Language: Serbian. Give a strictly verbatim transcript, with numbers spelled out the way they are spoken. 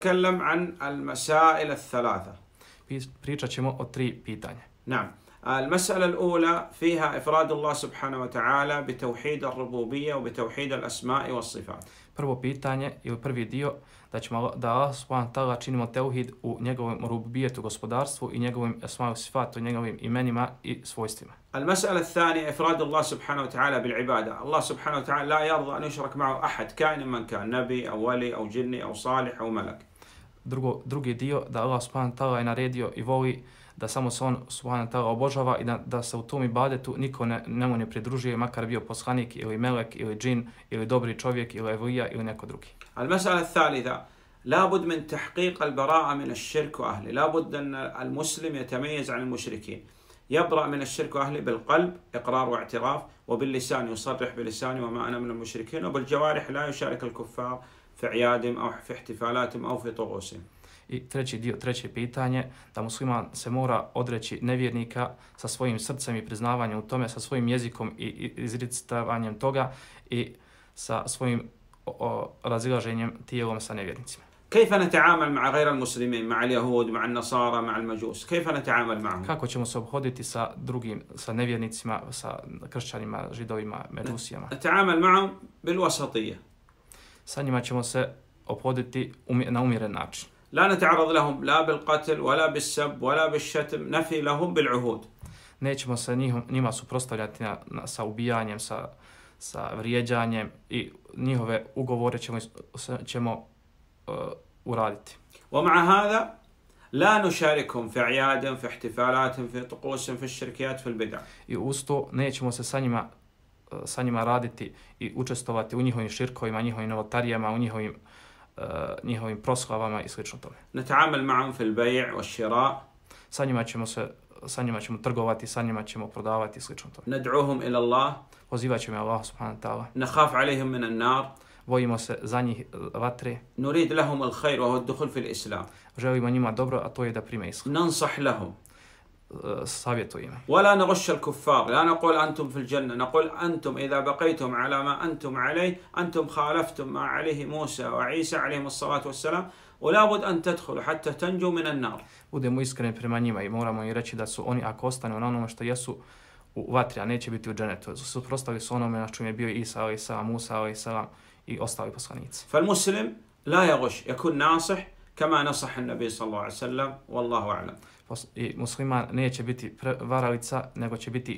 نتكلم عن المسائل الثلاثة. Pričat ćemo o tri pitanja. نعم. المسألة الأولى فيها إفراد الله سبحانه وتعالى بتوحيد الربوبية وبتوحيد الأسماء والصفات. Prvo pitanje ili prvi dio da ćemo da Allah subhanahu wa ta'ala činimo teuhid u njegovom rububijetu, gospodarstvu i njegovim esma'u sifatu, njegovim imenima i svojstvima. المسألة الثانية إفراد الله سبحانه وتعالى بالعبادة. الله سبحانه وتعالى لا يرضى أن يشرك معه أحد كائن من كان، نبي أو ولي أو جني أو صالح أو ملك. Drugo, drugi dio da Allah subhanahu wa ta'ala je naredio i voli da samo se on subhanahu wa ta'ala obožava i da, da se u tom ibadetu niko ne, nemu ne pridružuje, makar bio poslanik ili melek ili džin ili dobri čovjek ili evlija ili neko drugi. المسألة الثالثة لابد من تحقيق البراءة من الشرك وأهله. لابد أن المسلم يتميز عن المشركين. يبرأ من الشرك وأهله بالقلب إقرار واعتراف، وباللسان يصرح بلسانه وما أنا من المشركين، وبالجوارح لا يشارك الكفار في أعيادهم أو في احتفالاتهم أو في طقوسهم. I treći dio, treće pitanje, da musliman se mora odreći nevjernika sa svojim srcem i priznavanjem u tome, sa svojim jezikom i izricavanjem toga i sa svojim o, o, razilaženjem tijelom sa nevjernicima. كيف نتعامل مع غير المسلمين، مع اليهود، مع النصارى، مع المجوس؟ كيف نتعامل معهم؟ Kako ćemo se obhoditi sa drugim, sa nevjernicima, sa kršćanima, židovima, međusijama? نتعامل معهم بالوسطية. Sa njima ćemo se obhoditi na umjeren način. لا نتعرض لهم لا بالقتل ولا بالسب ولا بالشتم، نفي لهم بالعهود. Nećemo se njihom, njima suprotstavljati na, na, sa ubijanjem, sa, sa vrijeđanjem i njihove ugovore ćemo, ćemo uh, uraditi. ومع هذا لا نشاركهم في أعيادهم، في احتفالاتهم، في طقوسهم، في الشركيات، في البدع. I uz to nećemo se sa njima, sa njima raditi i učestvovati u njihovim širkovima, njihovim novotarijama, u njihovim Uh, njihovim proslavama i slično tome. نتعامل معهم في البيع والشراء. Sa njima ćemo se sa njima ćemo trgovati, sa njima ćemo prodavati i slično tome. ندعوهم إلى الله. Pozivat ćemo Allah subhanahu wa ta'ala. نخاف عليهم من النار. Bojimo se za njih vatre. نريد لهم الخير وهو الدخول في الإسلام. Želimo njima dobro, a to je da prime islam. ننصح لهم. savjetujemo. ولا نغش الكفار، لا نقول أنتم في الجنة، نقول أنتم إذا بقيتم على ما أنتم عليه أنتم خالفتم ما عليه موسى وعيسى عليهم الصلاة والسلام، ولا بد أن تدخلوا حتى تنجوا من النار. Budemo iskreni prema njima i moramo im reći da su oni, ako ostanu na onome što jesu, u vatri, a neće biti u dženetu. Suprotstavili su onome na čemu je bio Isa alejhi selam, Musa alejhi selam i ostali poslanici. فالمسلم لا يغش، يكون ناصح كما نصح النبي صلى الله عليه وسلم، والله أعلم. I musliman neće biti varalica, nego će biti